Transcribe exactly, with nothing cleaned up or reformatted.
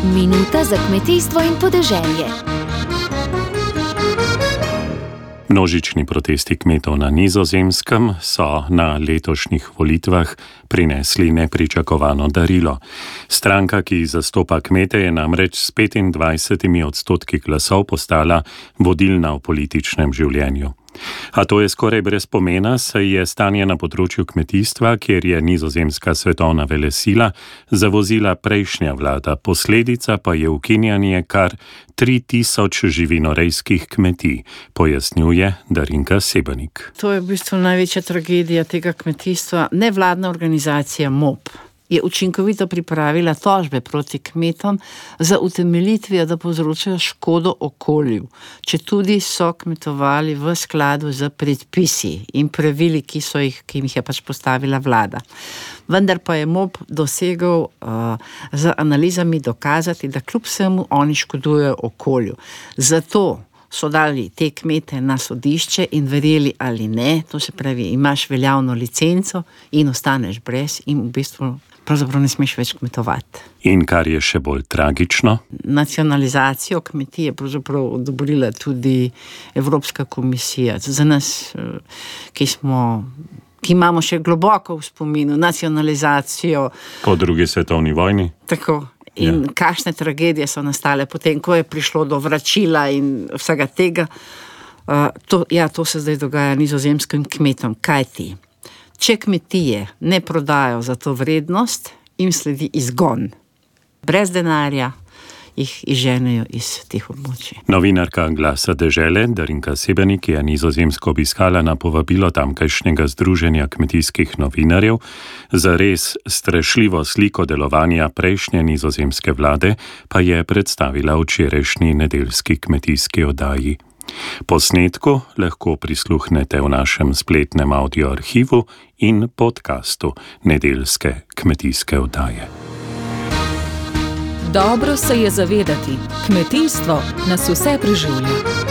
Minuta za kmetijstvo in podeželje. Množični protesti kmetov na Nizozemskem so na letošnjih volitvah prinesli nepričakovano darilo. Stranka, ki zastopa kmete, je namreč s petindvajsetimi odstotki glasov postala vodilna v političnem življenju. A to je skoraj brez pomena, saj je stanje na področju kmetijstva, kjer je Nizozemska svetovna velesila, zavozila prejšnja vlada, posledica pa je ukinjanje kar tri tisoč živinorejskih kmetij, pojasnjuje Darinka Sebenik. To je v bistvu največja tragedija tega kmetijstva. Nevladna organizacija M O P je učinkovito pripravila tožbe proti kmetom za utemeljitvijo, da povzročajo škodo okolju, četudi so kmetovali v skladu z predpisi in pravili, ki so jih, ki jih je pač postavila vlada. Vendar pa je M O P dosegel uh, z analizami dokazati, da kljub vsemu oni škodujejo okolju. Zato so dali te kmete na sodišče in verjeli ali ne, to se pravi, imaš veljavno licenco in ostaneš brez in v bistvu pravzaprav ne smeš več kmetovati. In kar je še bolj tragično? Nacionalizacijo kmetije pravzaprav odobrila tudi Evropska komisija. Za nas, ki smo, ki imamo še globoko v spominu nacionalizacijo po drugi svetovni vojni. Tako. In ja. Kakšne tragedije so nastale potem, ko je prišlo do vračila in vsega tega. Uh, to, ja, to se zdaj dogaja nizozemskim kmetom. Kaj ti? Če kmetije ne prodajo za to vrednost, jim sledi izgon. Brez denarja jih izženejo iz teh območij. Novinarka Glasa dežele Darinka Sebenik je Nizozemsko obiskala na povabilo tamkajšnjega združenja kmetijskih novinarjev. Za res strašljivo sliko delovanja prejšnje nizozemske vlade pa je predstavila včerajšnji nedeljski kmetijski oddaji. Posnetku lahko prisluhnete v našem spletnem audio arhivu in podkastu nedeljske kmetijske oddaje. Dobro se je zavedati, kmetijstvo nas vse preživlja.